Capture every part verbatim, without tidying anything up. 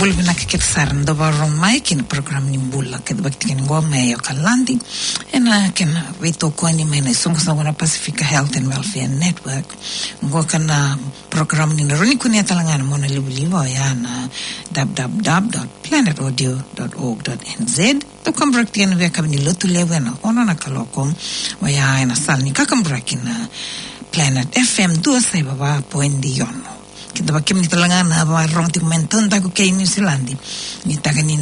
Vinaka kece sara na dau vakarorogo mai ki na program ni bula kece vakatiki ni qo mai Okaladi. Ena kena veitokoni mai na isoqosoqo na Pacific Health and Welfare Network. Qo ka na program ni na rawa ni kunea tale ga na monalivaliva, oya na w w w dot planet audio dot org dot n z. Dau kaburaki tiko na veiyakavi ni Lotulevu ena ono na kaloko, oya ena sala ni kakaburaki na Planet F M dua saiva va poidi ono. Keda vakakina tale ga na vakarorogo tiko mai na taudaku kei Niusiladi. Ni taka ni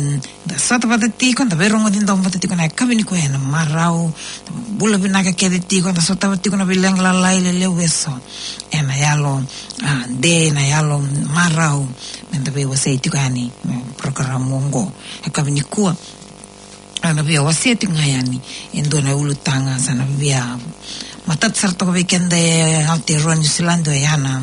da sota vata tiko, da veirogoci domo vata tiko na yakavi nikua ena marau, da bula vinaka kece tiko, da sota vata tiko na veileqa lalai lelevu eso. Ena yalo, a, de, ena yalo marau, me da veiwasei tiko yani, mm, program oqo. Yakavi nikua, a, na via wasea tiko ga yani e dua na ulutaga sa na via matata sara toka vei keda e Aotearoa Niusiladi, oya na,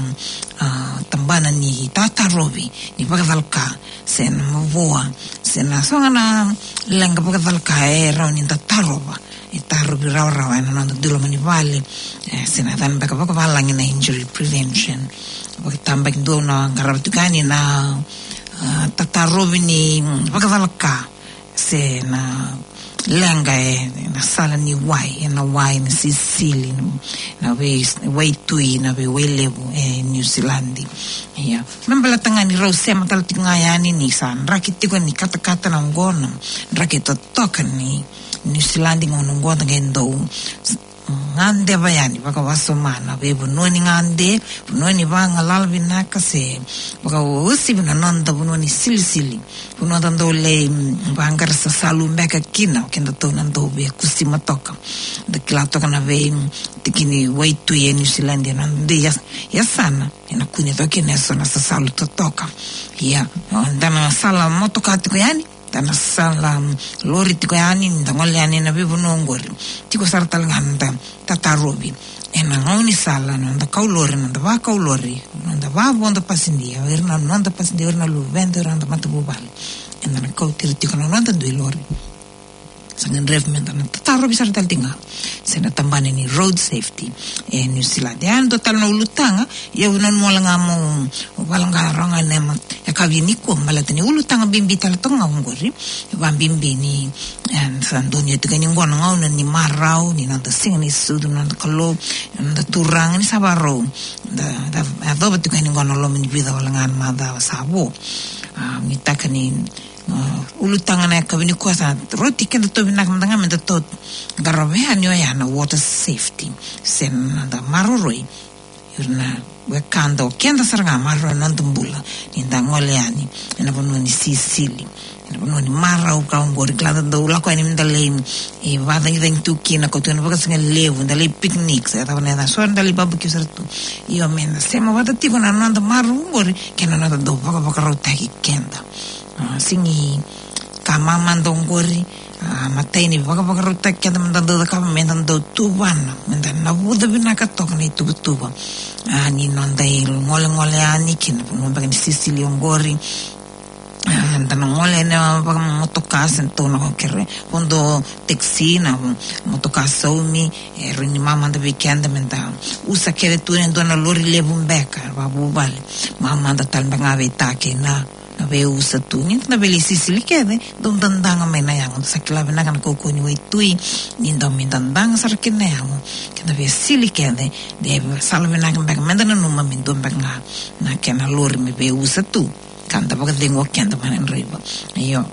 a, tabana ni tatarovi ni vakacalaka se na mavoa se na so ga na leqa vakacalaka e rawa ni da tarova, e tarovi rawarawa ena noda dui loma ni vale, e, se na yacana beka vakavalagi na injury prevention. Vakatabakidua au na qarava tiko yani na, a, tatarovi ni vakacalaka se na leqa ena sala ni wai, ena wai, na sisili, na vei, waitui, na veiwai levu e Niusiladi. Ia, me baleta ga ni rau sema tale tiko ga yani ni sa draki tiko ni katakata na oqo, na draki totoka ni Niusiladi ga oqo, da qai dau gadeva yani vakawasoma na veivanua ni gade, vanua ni vagalala vinaka se vakauasivi na noda vanua ni silisili. Vanua da dau lai, mm, vaqara sasalu beka kina, o kedatou na dau via kusima toka. Da kila toka na vei, mm, tiki ni waitui e Niusiladi, na noda dui yas-, yasana ena kune toka kina eso na sasalu totoka. Ia, o, da na sala motoka tiko yani, da na sala, mm, lori tiko yani, da gole yani ena veivanua oqori. Tiko sara tale ga na noda tatarovi ena gaunisala, na noda kau lori, na noda vakau lori, na noda vavodo pasidia, o ira na noda pasidia, o ira na luveda, o ira na noda matavuvale. Eda na kauti ira tiko na noda dui lori. Sa gadrevi me da na tatarovi sara tale tiko ga se na tabana ni road safety e Niusiladi. E dua tale na ulutaga, ia au nanuma wale ga meu vaqara ga ena yakavi nikua, baleta ni ulutaga bibi tale toka ga oqori. Vakabibi ni, e, sa donuya tiko yani qo na gauna ni marau, ni noda Siga ni Sucu, na noda Kalou, na noda Turaga, ni sa vakarau da, da yacova tiko yani qo na loma ni vica wale ga na macawa sa vo. A, ni taka ni, a, ulutaga na yakavi nikua sa rauti kedatou vinaka mada ga me datou qarava yani, oya na water safety se na noda maroroi ira na wekada, o keda sara ga, maroroi na noda bula ni da gole yani ena vanua ni sisili, ena vanua ni marau ka oqori. Kila da dau lako yani me da lai, e, vakacagicagi tu kina, ka tu ena vakasigalevu, da lai picnic se cava na yaca, so da lai barbecue sara tu. Io, me da sema vata tiko na noda marau oqori kei na noda dau vakavakarautaki keda. A, sega ni ka mamada oqori, a, matai ni vakavakarautaki keda me da dau cakava, me da dau tuvana, me da navuca vinaka toka na ituvatuva, a, ni noda igolegole yani ki na vanua beka ni sisili oqori. A, da na gole ena vakamotoka se tou na kere vodo taxi, na motoka saumi, e rawa ni mamada vei keda me da usa kece tu e dua na lori levu beka vakavuvale. Mamada tale beka ga vei ta kei na na veiusa tu. Ni da na via lai sisili kece, dau dadaga mai na yago. Da sa kila vinaka na kaukauwa ni waitui, ni dau mai dadaga sara kina na yago. Ke da via sili kece, de sala vinaka beka me da nanuma me dua beka ga na kena lori me veiusa tu, ka da vakacegu o keda mai na draiva. Io.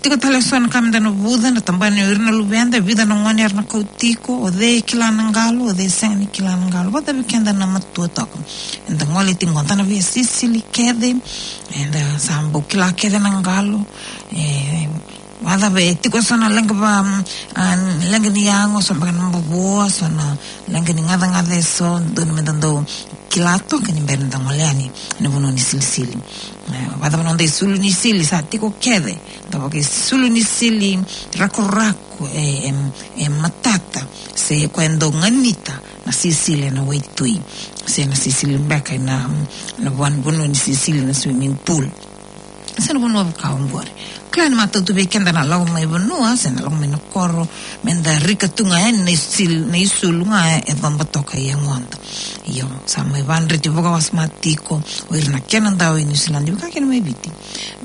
Tiko tale eso na ka me da navuca, na tabana o ira na luveda, vica na gone era na kau tiko, o cei e kila na qalo, o cei e sega ni kila na qalo. Vata vei keda na matua toka. Eda gole tiko qo, da na via sisili kece, eda sa bau kila kece na qalo. E, vata vei, tiko eso na leqa va, a, leqa ni yago, so beka na mavoa, so na leqa ni gacagaca eso, dodonu me da dau kila toka ni bera ni da gole yani ena vanua ni silisili. E, vata vei na noda isulu ni sili, sa tiko kece, da vakaisulu ni sili rakorako, e, e, e matata, se koya e dau ganita na sisili ena waitui, se na sisili beka ena, na van-, vanua ni sisili, na swimming pool, se na vanua vaka oqori. Kila ni matau tu vei keda na lako mai vanua se na lako mai na koro, meda rika tu ga yani na isil-, na isulu ga e coba toka i yagoda. Io, sa mai vadreti vakawasoma tiko o ira na kena dau i Niusiladi, vaka kina mai Viti,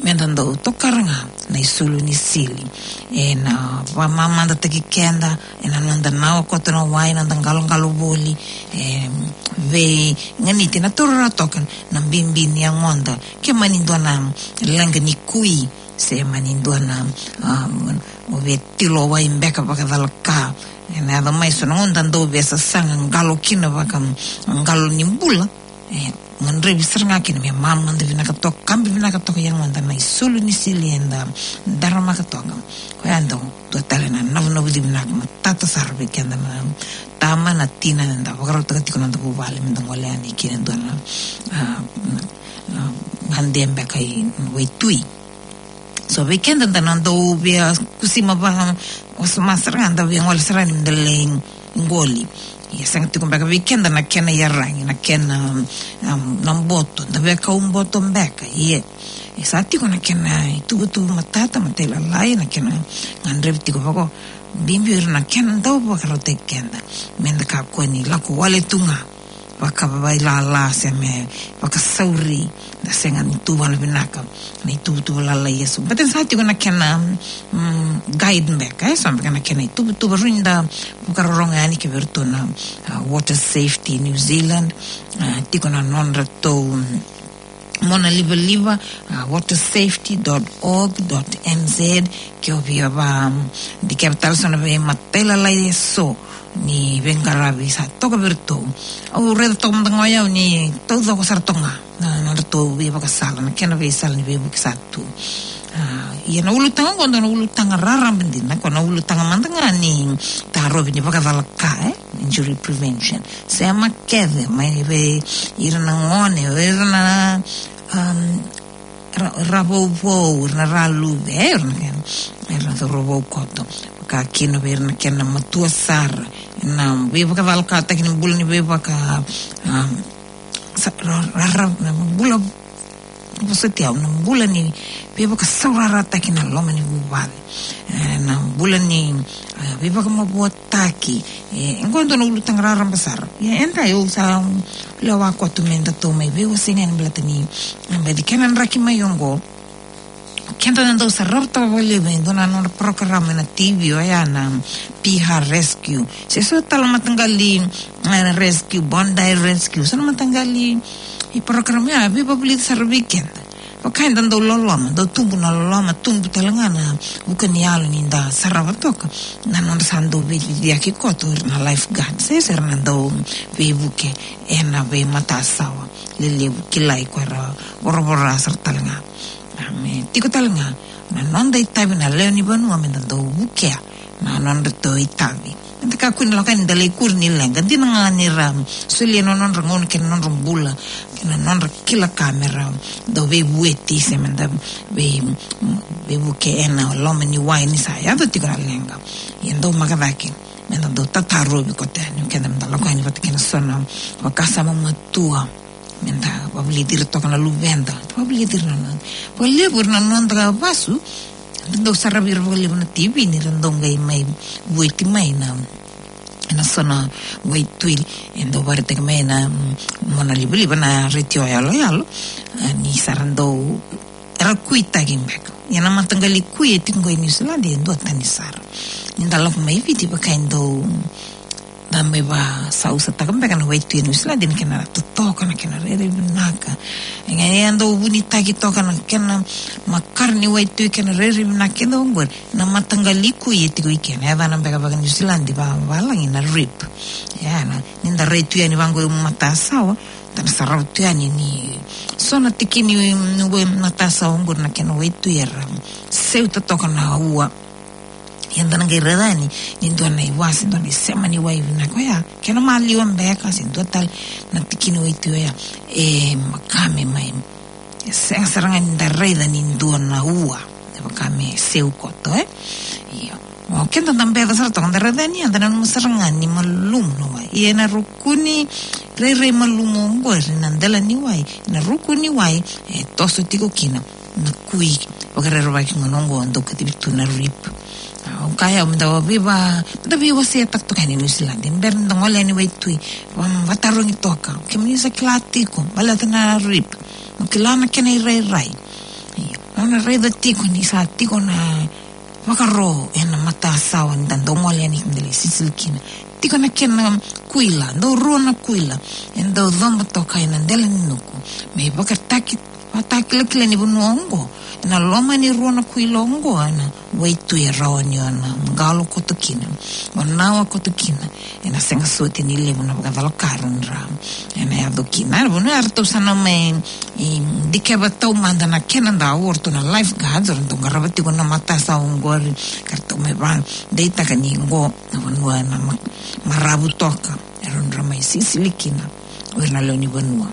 meda dau tokara ga na isulu ni sili. E na vakamamadataki keda, e na noda nawa koto na wai, noda qaloqalo voli, e veiganiti na taura toka na bibi ni yagoda. Ke mani dua na leqa ni kui, se mani dua na, um, o via tilo wai beka vakacalaka. E na yaco mai so na gauna da dau via sasaga qalo kina vaka qalo ni bula. E gadrevi sara ga kina me mamada vinaka toka, kabi vinaka toka i yagoda na isulu ni sili eda daramaka toka. Koya dau dua tale na navunavuci vinaka matata sara vei keda na tama, na tina, eda vakarautaka tiko na noda vuvale meda gole yani kina dua na, a, na, na gade beka i waitui. So vei keda da na dau via kusima vakawasoma sara ga, da via gole sara ni meda lai qoli. Ia sega tiko beka vei keda na kena iyaragi, na kena, um, na boto, da via kau boto beka. Ia e sa tiko na kena ituvatuva matata, matailalai, na kena gadrevi tiko vaka o bibi o ira na kena dau vakarautaki keda meda kakua ni lako wale tu ga vakavailala se me vakasauri, da sega ni tuvana vinaka na ituvatuva lalai eso. But e sa tiko na kena, mm, guide beka, e so beka na kena ituvatuva, rawa ni da vakarorogo yani kei vei iratou na, a, Water Safety New Zealand, a, tiko na nodratou, mm, mona livaliva, a, water safety dot org dot N Z, ke o via va, mm, dikeva tale so na veimatailalai eso ni veiqaravi sa toka vei iratou. Au raica toka mada ga o yau ni taucoko sara toka ga na, na nodratou veivakasala, na kena veisala ni veivuke sa tu. A, ia na ulutaga oqo dua na ulutaga raraba dina, ko na ulutaga mada ga ni tarovi ni vakacalaka, e, injury prevention. Sema kece mai vei ira na gone, ira na, um, ra, ra vouvou, ira na raluve, e, ira na kena, ira na cauravou koto. Vaka kina vei ira na kena matua sara, na veivakacalakataki ni bula ni veivaka, um, sa, ra, ra, ra, na bula, vosoti au, na bula ni veivakasaurarataki na loma ni vuvale. E, na bula ni, e, veivakamavoataki. E, e qo dua na ulutaga raraba sara. Ia, eda, au sa, um, lewa koto medatou mai veiwasei ga ni baleta ni, e, baleta kena draki mai oqo. Keda na dau sarava toka vakalevu e dua na nodra porokaramu ena T V, oya na Piha Rescue. Se so tale na mataqali, e, rescue, Bondi Rescue. So na mataqali, e, porokaramu ya, veivavulici sara vei keda. Vaka eda dau loloma, dau tubu na loloma, tubu tale ga na vuka ni yalo ni da sarava toka na nodra sa dau veiciciyaki koto o ira na lifeguard, se, se ira na dau veivuke ena veimatasawa lelevu, kilai ko era voravora sara tale ga. A, me tiko tale ga na noda itavi na lewe ni vanua meda dau vukea na nodratou itavi. Meda kakua ni lako yani da lai kuri ni leqa. Dina ga ni ra solia na nodra gauna kei na nodra bula kei na nodra kila ka me ra dau veivueti se meda vei, veivuke ena loma ni wai ni sa yaco tiko na leqa. Ia dau maka cake meda dau tatarovi koto yani o keda meda lako yani vata kei na so na vakasama matua. Meda vavulici ira toka na luveda, vavulici ira na noda, vakalevu ira na noda vasu. Da dau saravi ira vakalevu na T V ni ra dau qai mai vueti mai na, ena so na waitui e dau vakaraitaki mai na, mm, mona livaliva na retio yaloyalo. A, ni sa ra dau, era kuitaki beka. Ia na mataqali kui e tiko qo e Niusiladi e duatani sara. Ni da lako mai Viti vaka e dau da mai vasausataka beka na waitui e Niusiladi, na kena totoka, na kena rairai vinaka. E ga e dau vunitaki toka na kena makare ni waitui, kena rairai vinaka kece oqori. Na mataqali kui e tiko i kena, e yacana beka vaka Niusiladi, va, valagi na reef. Ia na, ni da rai tu yani vaqo i matasawa, da na sarava tu yani ni so na tikini ni wai matasawa oqori na kena waitui era seuta toka na ua. Ia da na qai raica yani ni dua na iwase, dua na isema ni wai vinaka oya, kena maliwa beka se dua tale na tikini waitui oya, e makame mai. E sega sara ga ni da raica ni dua na ua e vaka me seu koto, e? Io. O keda da beca sara toka, da raica yani, da nanuma sara ga ni malumu na wai. Ia ena ruku ni rairai malumu oqori na dela ni wai, na ruku ni wai e toso tiko kina na kui vakarerevaki gona oqo dau kacivi tu na rip. Au kaya, au meda veiva, meda veiwaseitaka toka yani e Niusiladi. Bera nida gole yani waitui, va, vatarogi toka. Kemuni sa kila tiko baleta na rip? Mo kila na kena irairai? Io. Au na raica tiko ni sa tiko na vakaro ena matasawa nida dau gole yani, keda lai sisili kina. Tiko na kena kuila, dau rua na kuila e dau coba toka ena dela ni nuku. Me vakataki, vakatakilakila ni vanua oqo, ena loma ni rua na kuila oqo, ena waitui e rawa ni o na qalo koto kina, o na wa koto kina. Ena sega soti ni levu na vakacalaka era, ena yaco kina. Na vanua eratou sa na mai, e, dikeva taumada na kena dau, o ratou na lifeguards, o ratou qarava tiko na matasawa oqori, ka ratou mai vakadeitaka ni qo na vanua ena ma-, maravu toka, era na mai sisili kina o ira na lewe ni vanua.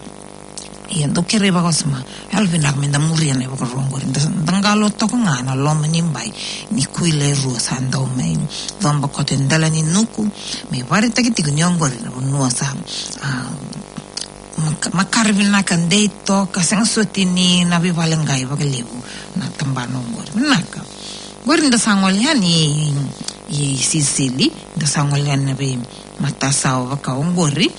Ia dau kerei vakawasoma, yalovinaka meda muria na ivakaro oqori, da, da qalo toka ga ena loma ni bai ni kuila e rua sa dau mai coba koto e dela ni nuku, me vakaraitaki tiko ni oqori na vanua sa, a, mak-, makare vinaka, dei toka, sega soti ni na veivale qai vakalevu na tabana oqori. Vinaka. Oqori da sa gole yani i, i Sisili, da sa gole yani na veimatasawa vaka oqori.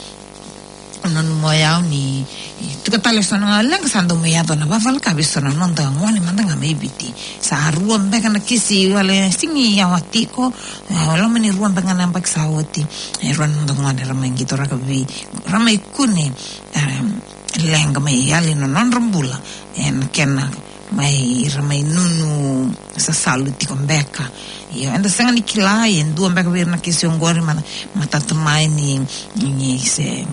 Au nanuma o yau ni, e, tiko tale eso na gauna leqa sa dau mai yaco na vakavalaka vei so na noda gone mada ga mai Viti. Sa rua beka na kisi wale sigi yawa tiko, e, loma ni rua beka na yabaki sa oti. E, rua na noda gone ra mai qito, ra ka vei, ra mai kune, e, leqa mai yali na nodra bula. E, na kena mai, ra mai nunu sasalu tiko beka. Io, eda sega ni kila, e dua beka vei ira na kisi oqori, ma, matata mai ni, ni se,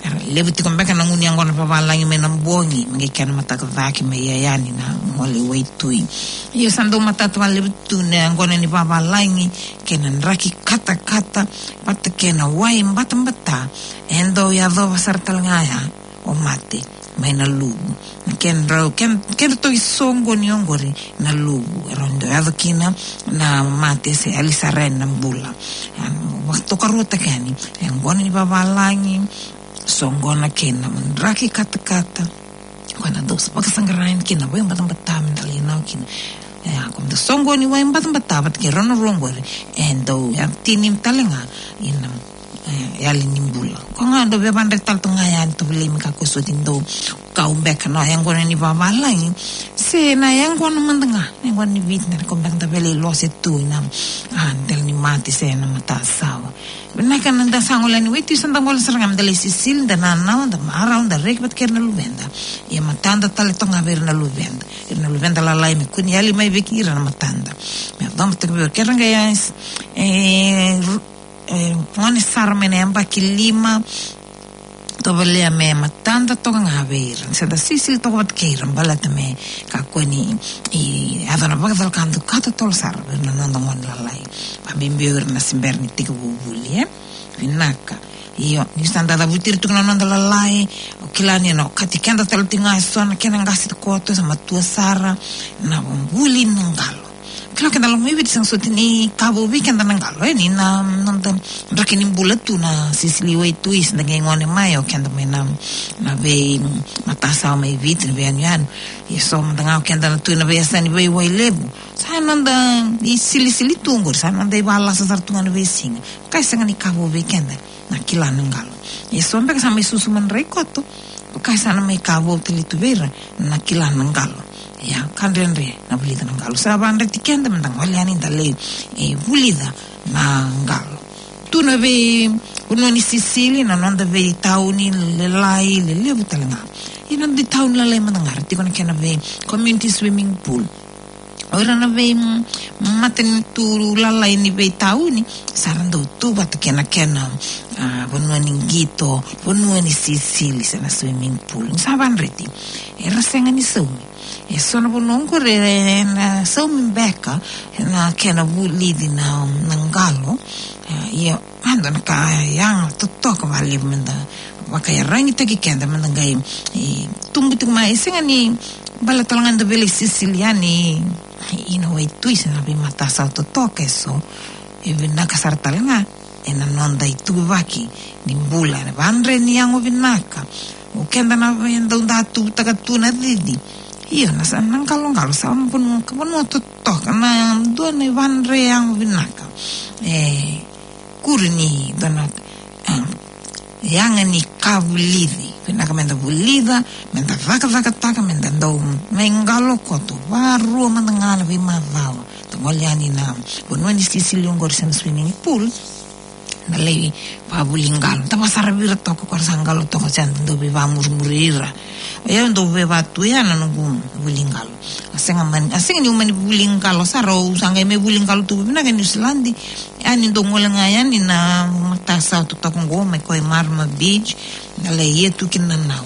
era levu tiko beka na gunu yaqona vavalagi mai na bogi, me qai kena mataka cake mai yani na gole waitui. Io, sa dau matata vakalevu tu na yaqona ni vavalagi, kei na draki katakata, vata kei na wai batabata, e dau yacova sara tale ga ya o mate mai na luvu. Na kedrau, ke, kedratou isoqoni oqori na luvu, e rawa ni dau yaco kina na mate se yali sara yani na bula. Ia, vakatokaruataka yani, e yaqona ni vavalagi, soqona kei na draki katakata, koya na dau vakasaqara yani kina na wai batabata me da lai nau kina. Ia, ko da soqoni wai batabata vata kei rau na rua oqori, e dau yatini tale ga ina, e, yali ni bula. Ko ga dau veivadre tale tu ga yani, tovolei me kakua soti ni dau kau beka na yaqona ni vavalagi, se na yaqona mada ga, na yaqona ni Viti, na ko beka da veilose tu ina, a, dela ni mate se na matasawa. Vinaka na da sa gole yani waitui, sa da gole sara ga me da lai sisili, da nanawa, da marau, da reki vata kei ira na luveda. Ia matada tale toka ga vei ira na luveda. Ira na luveda lalai me kua ni yali mai vei ira na matada. Me coba toka vei ira, ke ra qai, e, ru-, e, gone sara mai na yabaki lima, tovolea me matada toka ga vei ira. Sa da sisili toka vata kei ira baleta me kakua ni, e, yaco na vakacalaka dau ka totolo sara vei ira na noda gone lalai. Vakabibi o ira na se bera ni tekivu vuli, e? Vinaka. Io, ni sa da cavuti ira tiko na noda lalai, o kila ni na okati keda tale tiko ga eso na kena qase koto, sa matua sara, na vuli na qalo. Kila keda lako mai Viti, sega soti ni ka vou vei keda na qalo, e, ni na noda draki ni bula tu na sisili waitui, se da qai gone mai, o keda mai na, na veimatasawa mai Viti, na veiyanuyanu. Ia so mada ga o keda na tu na veiyasa ni veiwai levu. Sa noda isilisili tu oqori, sa noda ivalasa sara tu ga na veisiga. Ka e sega ni ka vou vei keda na kila na qalo. Ia so beka sa mai susu madrai koto, ka sa na mai ka vou tale tu vei ira na kila na qalo. Ia, ka dredre na vulica na qalo. Sa vakadreti keda me da gole yani da lai, e, vulica na qalo. Tu na veivanua ni sisili, na noda veitauni lalai, lelevu tale ga. Ia na noda itauni lalai mada ga, ra tiko na kena vei community swimming pool. O ira na vei, mm, matanitu lalai ni veitauni, sa ra dau tu vata kei na kena, a, vanua ni qito, vanua ni sisili, se na swimming pool. Ni sa vakadreti, era sega ni saumi. E so na vanua oqori era na saumi beka na kena vulici na, na qalo. A, ia, a, dua na ka yaga totoka vakalevu me da vakaiyaragitaki keda me da qai, e, tubu tiko mai, e sega ni baleta tale ga da veilai sisili yani ina waitui se na veimatasawa totoka eso. E vinaka sara tale ga ena noda ituvaki ni bula, ena vakadre ni yago vinaka. O keda na vei dau da tuvutaka tu na cici, Io, na sa, na qaloqalo sa vanua, vanua totoka, na dua na ivandre yago vinaka. E, kuri ni dua na, e, yaga ni ka vulici. Vinaka meda vulica, meda cakacakataka, meda dau mai qalo koto. Varua mada ga na veimacawa. Da gole yani na vanua ni sisili oqori se na swimming pool. Na lai vavuli qalo. Da vakasaravi ira toka ko ra sa qalo toka, se da dau veivamurimuri ira. O yau dau veivatu ya na noqu vuli qalo. A sega mani, a sega niu mani vuli qalo sara, au sa qai mai vuli qalo tu vinaka e Niusiladi. Ia niu dau gole ga yani na matasawa totoka qo mai ko e Marama Beach. Na lai ia tu kina na nau.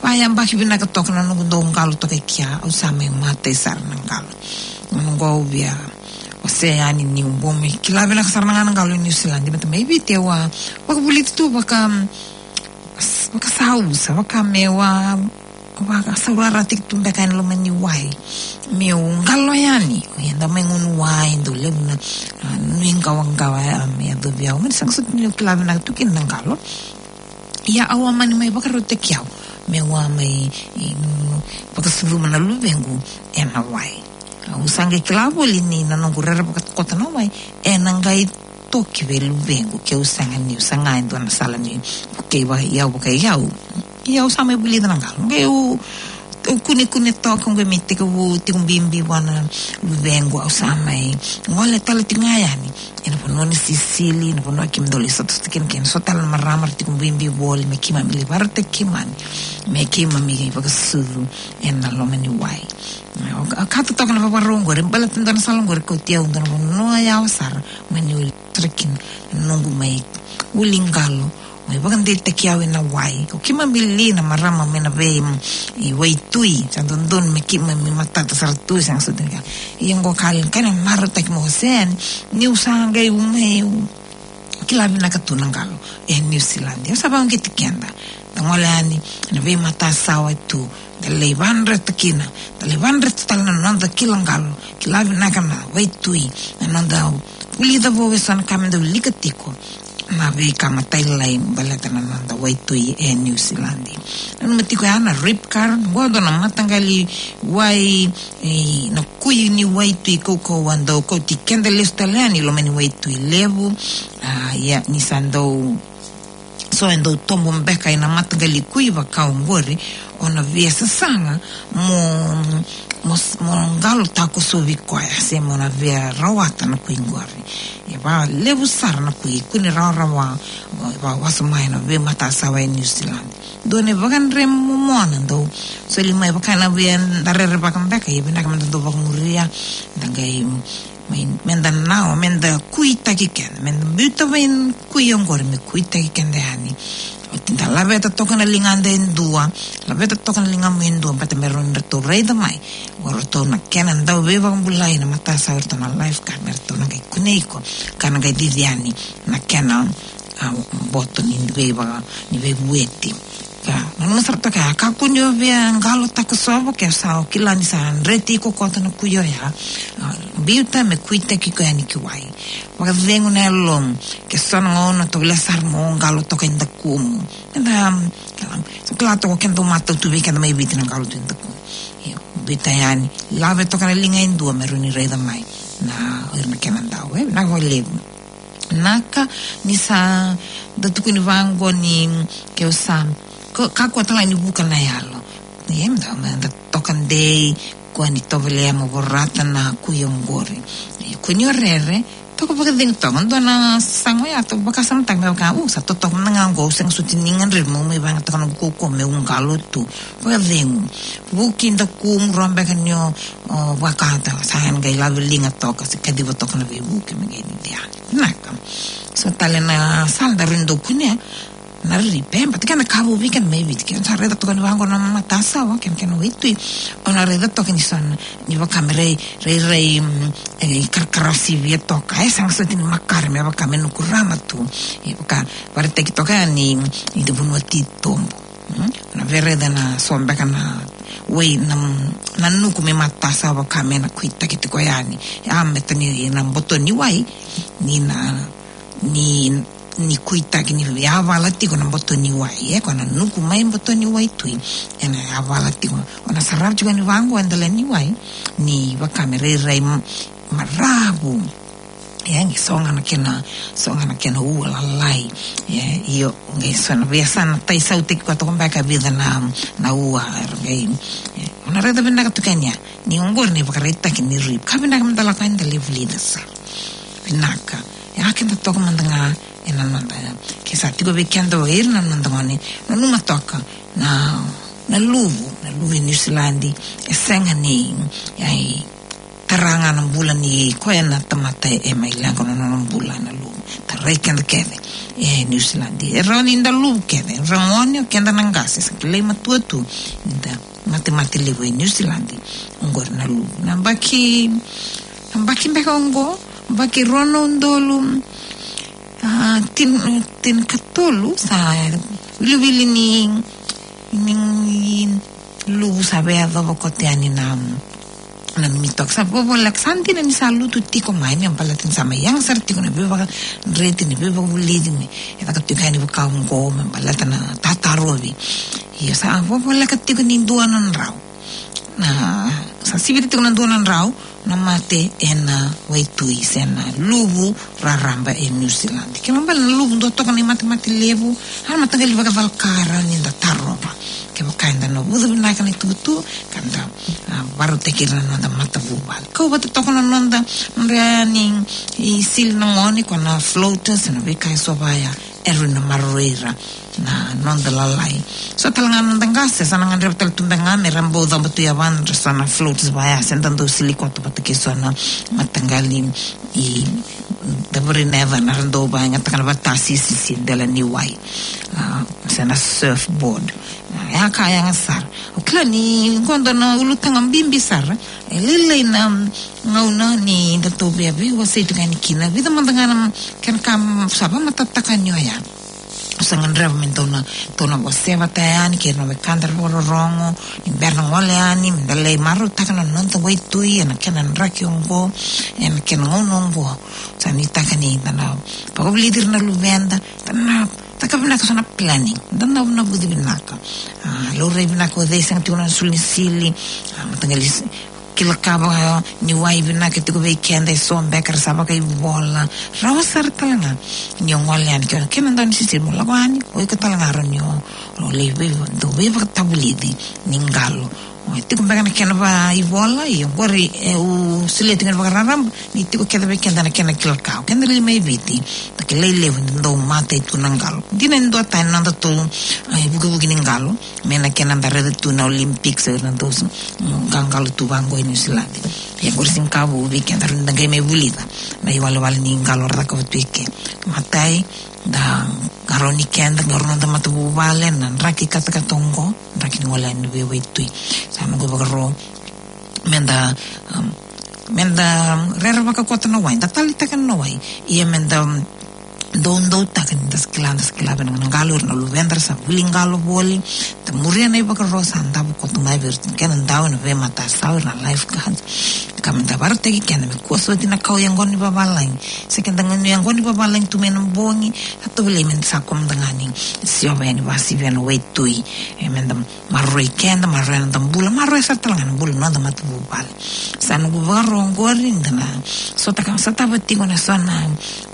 Vayabaki vinaka toka na noqu dau qalo toka i kea, au sa mai matai sara na qalo. Noqu au via wasea yani niu bau mai kila vinaka sara na ga na qalo e Niusiladi. Baleta mai Viti au a vakavulici tu vaka, vakasausa, vaka meu a, vakasaurarataki tu beka e loma ni wai. Meu qalo yani, eda mai gunu wai, dau levu na, a, nuiqawaqawa, a, me yacovi au. Mani sega soti niu kila vinaka tu kina na qalo. Ia au a mani mai vakarautaki au meu a mai, e, vakasucuma na luvequ ena wai. Au sa qai kila voli ni na noqu rerevaka koto na wai ena qai toki vei luvequ, keu sega niu saga e dua na sala ni vukei vaka i au, vaka i au. Ia au sa mai vulica na qalo. Qai au, au kunekune toka, au qai mai tekivu tiko bibi vua na luvequ, au sa mai gole tale tiko ga yani ena vanua ni sisili, na vanua keimami dau lai sotasota kina kei na so tale na marama era tiko bibi voli me keimami lai vakarautaki keimami, me keimami vakasucu ena loma ni wai. Au, au kaya toka na vakarau oqori, baleta dua na sala oqori kauti au dua na vanua yawa sara, mani uli sara kina na noqu mai vuli qalo, mai vakadeitaki au ena wai. Ko keimami li na marama mai na vei, mm, i waitui, sa dodonu me keimami matata sara tu, sega soti ni ka. Ia qo ka, ka na marautaki mo se yani, niu sa qai u mai u kila vinaka tu na qalo e Niusiladi. Au sa vakauqeti keda. Da gole yani na veimatasawa tu, da lai vadreta kina, da lai vadreta tale na noda kila qalo, kila vinaka na waitui, na noda vulica vou eso na ka meda wilika tiko. Na veika matailalai baleta na noda waitui e Niusiladi. Nanuma tiko ya na rip current, qo dua na mataqali wai, e, na kui ni waitui kaukauwa dau kauti keda lesu tale yani loma ni waitui levu. A, ia, ni sa dau, so e dau tobo beka ena mataqali kui vaka oqori, o na via sasaga mo, mo, mo qalo takosovi koya, se mo na via rawata na kui qori. E va levu sara na kui, kune rawarawa, e va wasoma ena veimatasawa e Niusiladi. Dua na ivakadre momona dau soli mai vaka na via da rerevaka beka, ia vinaka meda dau vakamuria, da qai mai, meda nawa, meda kuitaki keda, meda biuta vei kui oqori me kuitaki keda yani. Oti da laveta toka na ligada e dua, laveta toka na ligamu e dua, baleta me rawa ni ratou raica mai o ratou na kena dau veivakabulai na matasawa, o ratou na lifeguard, me ratou na qai kunei iko, ka na qai cici yani na kena, a, boto ni veivaka, ni veivueti. Ka, nanuma sara toka, kakua ni o via qalo takosova, ke sa o kila ni sa dreti iko koto na kui oya. A, biuta me kuitaki iko yani ki wai. Vakacegu na yalomu, ke so na gauna tovolea sara mo qalo toka i dakumu. Eda, kila, sa kila toka keda matau tu vei keda mai Viti na qalo tu i dakumu. Io, biuta yani, lave toka na liga e dua me rawa ni raica mai na, o ira na kena dau, e, na vakalevu. Naka, ni sa da tukuni vaqo ni, ke o sa, ko, kakua tale ni vuka na yalo. Ia, meda, meda toka dei, kua ni tovolea mo vorata na kui oqori. Ia, kua ni o rere, toka vakacegu toka, dua na sasaga oya, toka vakasamataka me vaka, u, sa totoka mada ga oqo, au sega soti ni gadrevi meu mai vayagataka noqu kaukauwa meu qalo tu. Vakacegu. Vuki dakumu, rawa beka ni o, o, vakata, sa na qai lave liga toka, se kaciva toka na veivuke me qai cici yani. Vinaka. So tale na sala da rawa ni dau kunea na ripe, baleta kena ka vou vei keda mai Viti, keda sa raica toka ni vaqo na matasawa, kena, kena waitui. O na raica toka ni so na, ni vaka me rai, rai, rai, mm, e, karakara sivia toka, e, sega soti ni makare me vaka me nukurama tu. E, vaka, vakaraitaki toka ni, ni da vanua titobu. Mm? Na via raica na so beka na wai, na, na nuku me matasawa ka me na kuitaki tiko yani. A, me tani na boto ni wai, ni na, ni ni kuitaki ni yavala tiko na boto ni wai, e, ko na nuku mai boto ni waitui. Ena yavala tiko, o na sarava tiko ni vaqo e dela ni wai, ni vaka me rairai m-, maravu. E, qai so ga na kena, so ga na kena ua lalai. E, io, qai so na veiyasana tai sautaki koya toka beka vica na, na ua, era qai, e, o na raica vinaka tu kania, ni oqori na ivakaraitaki ni rip. Ka vinaka mada lako yani da lai vulica sara. Vinaka. E, a keda toka mada ga, e, na noda, ke sa tiko vei keda o ira na noda gone, nanuma toka, na, na luvu, na luvu e Niusiladi, e sega ni, ai, tara ga na bula ni koya na tamata e mai leqa na nona bula na luvu. Tarai keda kece e Niusiladi. E rawa ni da luvu kece, e rawa ni o keda na qase, sa kilai matua tu, da matemate levu e Niusiladi. Oqori na luvu. Na baki, na baki beka oqo, baki rua na udolu, a, tin-, tinikatolu, sa wiliwili ni, ni luvu sa via yacova koto yani na, na mitoka. Sa vovoleka, sa dina ni sa lutu tiko mai, me baleta ni sa mai yaga sara tiko na veivakadreti, na veivakavulici, me, e caka tiko yani vaka oqo, me baleta na tatarovi. Io, sa vovoleka tiko ni dua na drau. Na, sa sivita tiko na dua na drau na mate ena waitui se na luvu raraba e Niusiladi. Kena ibalebale na luvu dua toka na imatemate levu, a na mataqali vakacalaka e rawa ni da tarova. Kevaka eda na vuca vinaka na itukutuku, ka da, a, vakarautaki ira na noda matavuvale. Kau vata toka na noda, noda yani isili na gone, ko na floaters, na veika eso vaya, e rawa ni maroroi ira na noda lalai. So tale ga na noda qase, sa na gadreva tale tu beka ga me ra bau caba tu yavadra so na floats vaya, se da dau sili koto vata kei so na mataqali i, da vuri na yacana, ra dau vakayagataka na vata sisisi dela ni wai. A, se na surfboard. A, ya ka yaga sara. O kila ni qo dua na ulutaga bibi sara. E lailai na gauna ni da tou via veiwasei tu ga yani kina. Vica mada ga na kena ka, mm, sa vakamatatataka ni oya. Au sa gadreva me dou na, dou na wasea vata yani kei na wekada vakarorogo, ni bera na gole yani, me da lai marautaka na noda waitui ena kena draki oqo, ena kena gauna oqo. Sa nuitaka ni da na vakavulici ira na luveda, da na caka vinaka so na planning, da na, na vuci vinaka. A, laurai vinaka o cei sega tiko na sulu ni sili, a, mataqali s-, kila ka vaka ni wai vinaka tiko vei keda, e so beka era sa vakaivola. Rawa sara tale ga ni o gole yani, ke, ke na dau ni sisili mo lako yani, o iko tale ga rawa ni o, o lai vei, dau veivakatavulici ni qalo. O, e tiko beka na kena vakaivola, ia oqori, e, au solia tiko na vakararaba, ni tiko kece vei keda na kena kila ka. O keda li mai Viti, da kilai levu ni dau matai tu na qalo. Dina ni dua tani na noda tou, a, ivukivuki ni qalo, me na kena da raica tu na Olympics, e na dou s-, mm, qaqalo tu vaqo e Niusiladi. Ia oqori siga ka vou vei keda rawa ni da qai mai vulica na iwalewale ni qalo ra cakava tu eke. Matai, da qarauni keda, qarauna noda matavuvale, na draki katakata oqo, draki ni gole yani veiwaitui. Sa noqu ivakaro, me da, um, me da rerevaka koto na wai, da taleitaka na wai. Ia me da, um, doudoutaka ni da sa kila, da sa kila vinaka na qalo, ira na luveda ra sa vuli qalo voli, da muria na ivakaro sa davo koto mai vei ira na kena dau ena veimatasau, ira na lifeguards. Ka me da vakarautaki keda me kua soti na kau yaqona ni vavalagi. Se keda gone yaqona ni vavalagi tu mai na bogi, sa tovolei me da sa kua mada ga ni siova yani vakasivia na waitui. E me da maroroi keda, maroroi na noda bula, maroroi sara tale ga na bula na noda matavuvale. Sa noqu vakaro oqori, da na sotava, sotava tiko na so na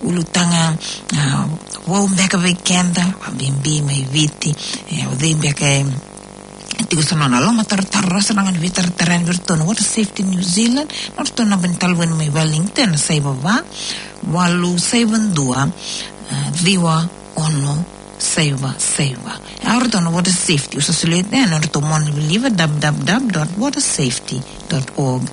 ulutaga, a, vou beka vei keda, vakabibi mai Viti, e, o cei beka e tiko so na nona lomatarotaro, ra sa na qai veitaratara yani vei iratou na Water Safety New Zealand, na nodratou naba ni talevoni mai Wellington, na saiva va, walu saiva dua, a, ciwa ono saiva saiva. A, o ratou na Water Safety, au sa solia, e, na nodratou monalivaliva, w w w dot water safety dot org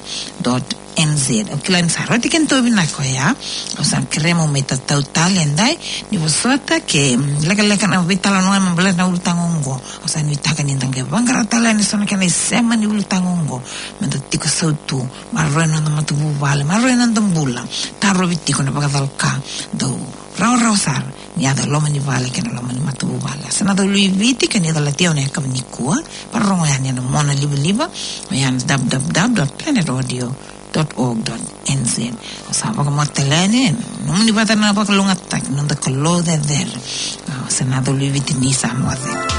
dot n z. Au kila ni sa rauti kena tauvi na koya. Au sa kerea mo mai tatau tale edai, ni vosota ke, mm, lekaleka na veitalanoa me baleta na ulutaga oqo. Au sa nuitaka ni da qai vaqara tale yani so na kena isema ni ulutaga oqo. Me da tiko sautu, maroroi na noda matavuvale, maroroi na noda bula. Tarovi tiko na vakacalaka, dau rawarawa sara ni yaco e loma ni vale kei na loma ni matavuvale. Sa na cau lui Viti, kei na Viti, au na yakavi nikua. Vakarorogo yani ena monalivaliva, oya na w w w dot planet audio dot org dot N Z. Au sa vakamatata yani, nomuni vata na vakalougatataki, noda Kalou cecere. Au sa na coli viti ni sa moce.